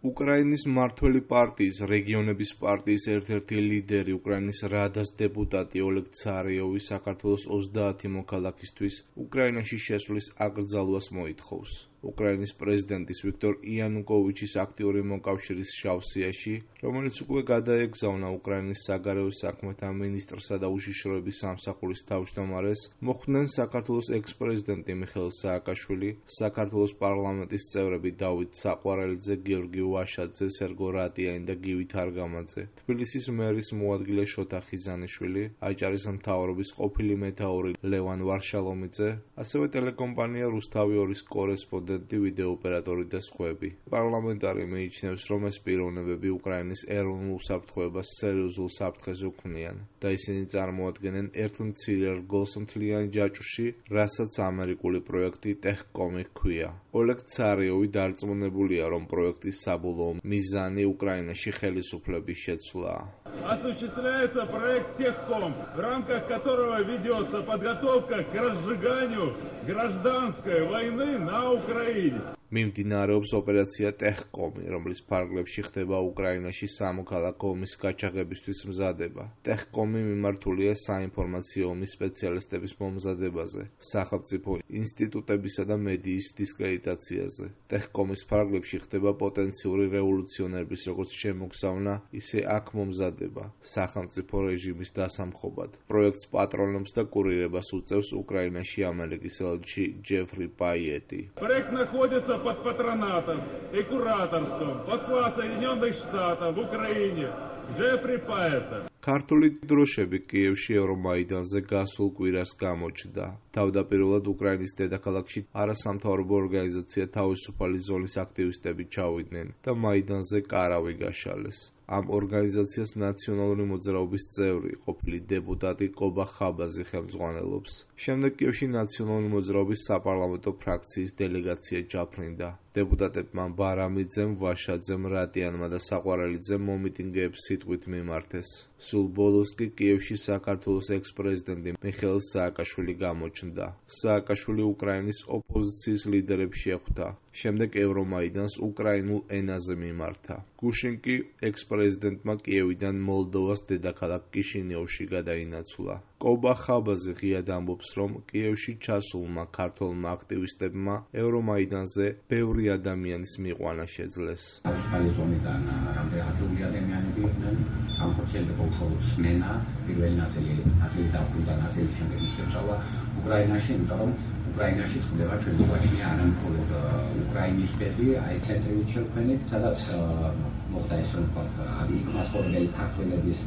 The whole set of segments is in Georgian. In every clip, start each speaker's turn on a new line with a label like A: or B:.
A: უკრაინის მმართველი პარტიის, რეგიონების პარტიის ერთ-ერთი ლიდერი, უკრაინის რადას დეპუტატი ოლეგ ცარიოვი საქართველოს 30 მოქალაქისთვის უკრაინაში შესვლის აკრძალვას მოითხოვს. უკრაინის პრეზიდენტის ვიქტორ იანუკოვიჩის აქტიური მოკავშირის შავსიაში, რომელიც უკვე გადაეგზავნა უკრაინის საგარეო საქმეთა მინისტრსა და უშიშროების სამსახურის თავმჯდომარეს, მოხვდნენ საქართველოს ექს-პრეზიდენტი მიხეილ სააკაშვილი, საქართველოს პარლამენტის წევრები დავით საყვარელიძე, გიორგი ვაშაძე, სერგო რატიანი და გივი თარგამაძე, თბილისის მერის მოადგილე შოთა ხიზანიშვილი, აჭარის მთავრობის ყოფილი მეთაური ლევან ვარშალომიძე, ასევე ტელეკომპანია რუსთავი 2-ის კორესპონდენტი, ვიდეოოპერატორი და სხვები. პარლამენტარი მიიჩნევს, რომ ეს პიროვნებები უკრაინის ეროვნულ უსაფრთხოებას სერიოზულ საფრთხეს უქმნიან და ისინი წარმოადგენენ ერთ მცირე რგოლს მთლიან ჯაჭვში, რასაც ამერიკული პროექტი ტეხკომი ჰქვია. ოლეგ ცარიოვი დარწმუნებულია, რომ პროექტის საბოლოო მიზანი უკრაინაში ხელისუფლების შეცვლაა.
B: Осуществляется проект Техком, в рамках которого ведется подготовка к разжиганию гражданской войны на Украине.
A: მიმდინარეობს ოპერაცია ტეხკომი, რომლის ფარგლებში ხდება უკრაინაში სამოქალაქო ომის გაჩაღებისთვის მზადება. ტეხკომი მიმართულია საინფორმაციო ომის სპეციალისტების მომზადებაზე, სახელმწიფო ინსტიტუტებისა და მედიის დისკრედიტაციაზე. ტეხკომის ფარგლებში ხდება პოტენციური რევოლუციონერების როგორც შემოგზავნა, ისე აქ მომზადება, სახელმწიფო რეჟიმის დასამხობად. პროექტს პატრონობს და კურირებას უწევს უკრაინაში ამერიკის ელჩი ჯეფრი პაიეტი.
B: Проект находится под патронатом и кураторством посла Соединенных Штатов в Украине Джефри Пайета.
A: ქართული დროშები კიევში ევრომაიდანზე გასულ კვირას გამოჩნდა. თავდაპირველად უკრაინის დედაქალაქში არასამთავრობო ორგანიზაცია თავისუფალი ზონის აქტივისტები ჩავიდნენ და მაიდანზე კარავი გაშალეს. ამ ორგანიზაციას ნაციონალური მოძრაობის წევრი, ყოფილი დეპუტატი კობა ხაბაზი ხელმძღვანელობს. შემდეგ კიევში ნაციონალური მოძრაობის საპარლამენტო ფრაქციის დელეგაცია ჩაფრინდა. დეპუტატებმა ბარამიძემ, ვაშაძემ, რატიანმა და საყვარელიძემ მომიტინგეებს სიტყვით მიმართეს. სულ ბოლოს კი კიევში საქართველოს ექს-პრეზიდენტი მიხეილ სააკაშვილი გამოჩნდა. სააკაშვილი უკრაინის ოპოზიციის ლიდერებს შეხვდა. შემდეგ ევრომაიდანს უკრაინულ ენაზე მიმართა. გუშინ კი ექს-პრეზიდენტმა კიევიდან მოლდოვას დედაქალაქ კიშინიოვში გადაინაცვლა. კობა ხაბაზი ღიად ამბობს, რომ კიევში ჩასულმა ქართველმა აქტივისტებმა ევრომაიდანზე ბევრი ადამიანის მიყვანა შეძლეს.
C: უკრაინაში წდება ჩვენი ვაჭრია არა მხოლოდ უკრაინის ბედი, აი ცენტრალურ შექმნით, სადაც მოხდა ეს რომ იქ მასწავლებელი ქართველების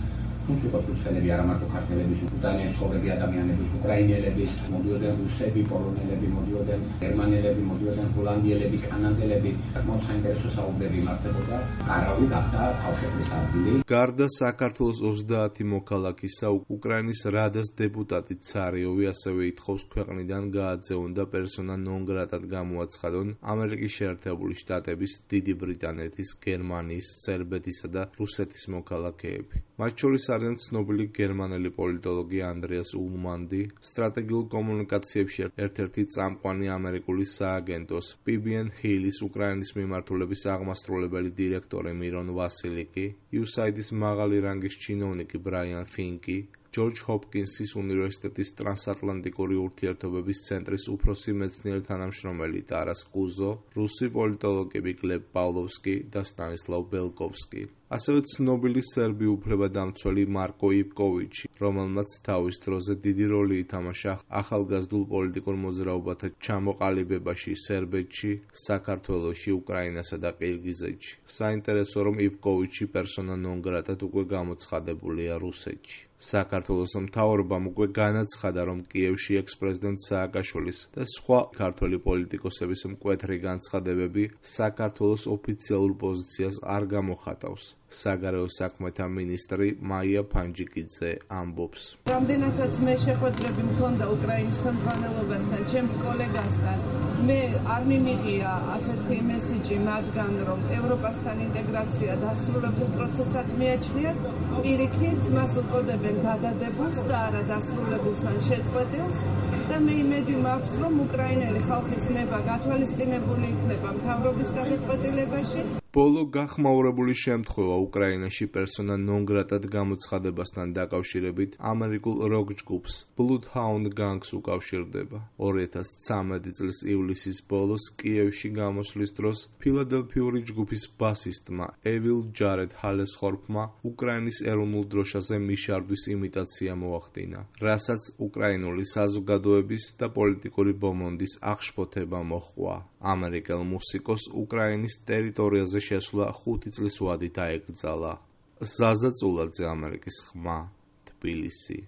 C: თუმცა არა მარტო ქართველების, უკრაინის ცხოვრები ადამიანების, უკრაინელების, მოდიოდნენ რუსები, პოლონელები, მოდიოდნენ გერმანელები, მოდიოდნენ ჰოლანდიელები, კანადელები, საკმაოდ საინტერესო საუბრები იმართებოდა. კარავი გახდა თავშეყრის ადგილი.
A: გარდა საქართველოს 30 მოქალაქისა, უკრაინის რადას დეპუტატი ცარიოვი ასევე ითხოვს ქვეყნიდან გააძევონ და პერსონა ნონ გრატად გამოაცხადონ ამერიკის შეერთებული შტატების, დიდი ბრიტანეთის, გერმანიის, სერბეთისა და რუსეთის მოქალაქეები. მათ შორის არიან ცნობილი გერმანელი პოლიტოლოგი ანდრეას ულმანდი, სტრატეგიულ კომუნიკაციებში ერთ-ერთი წამყვანი ამერიკული სააგენტოს PBN Hill-ის უკრაინის მიმართულების აღმასრულებელი დირექტორი მირონ ვასილიკი, USAID-ის მაღალი რანგის ჩინოვნიკი ბრაიან ფინკი, ჯორჯ ჰოპკინსის უნივერსიტეტის ტრანსატლანტიკური ურთიერთობების ცენტრის უფროსი მეცნიერი თანამშრომელი ტარას კუზო, რუსი პოლიტოლოგები გლებ პავლოვსკი და სტანისლავ ბელკოვსკი. ასევე ცნობილი სერბი უფლებადამცველი მარკო ივკოვიჩი, რომელმაც თავის დროზე დიდი როლი ითამაშა ახალგაზრდულ პოლიტიკურ მოძრაობათა ჩამოყალიბებაში სერბეთში, საქართველოში, უკრაინასა და ყირგიზეთში. საინტერესო რომ ივკოვიჩი პერსონა ნონ გრატად უკვე გამოცხადებულია რუსეთში. საქართველოს მთავრობამ უკვე განაცხადა, რომ კიევში ექს-პრეზიდენტ სააკაშვილის და სხვა ქართველი პოლიტიკოსების მკვეთრი განცხადებები საქართველოს ოფიციალურ პოზიციას არ გამოხატავს. საგარეო საქმეთა მინისტრი მაია ფანჯიკიძე ამბობს.
D: რამდენადაც მე შეხვედრები მქონდა უკრაინის ხელმძღვანელობასთან, ჩემს კოლეგასთან, მე არ მიმიღია ასეთი მესიჯი მათგან, რომ ევროპასთან ინტეგრაცია დასრულებულ პროცესად მიაჩნიათ, პირიქით მას უწოდებენ გადადებულს და არა დასრულებულს ან შეწყვეტილს და მე იმედი მაქვს, რომ უკრაინელი ხალხის ნება გათვალისწინებული იქნება მთავრობის გადაწყვეტილებაში.
A: ბოლო გახმაურებული შემთხვევა უკრაინაში პერსონა ნონ გრატად გამოცხადებასთან დაკავშირებით ამერიკულ როკ ჯგუფს Bloodhound Gang-ს უკავშირდება. 2013 წლის ივლისის ბოლოს კიევში გამოსვლის დროს ფილადელფიური ჯგუფის ბასისტმა Evil Jared Halesthorpe-მა უკრაინის ეროვნულ დროშაზე მიშარდვის იმიტაცია მოახდინა, რასაც უკრაინული საზოგადოების და პოლიტიკური ბომონდის აღშფოთება მოჰყვა. ამერიკელ მუსიკოს უკრაინის ტერიტორიაზე შესვლა 5 წლის ვადით აეკრძალა. ზაზა წულაძე, ამერიკის ხმა, თბილისი.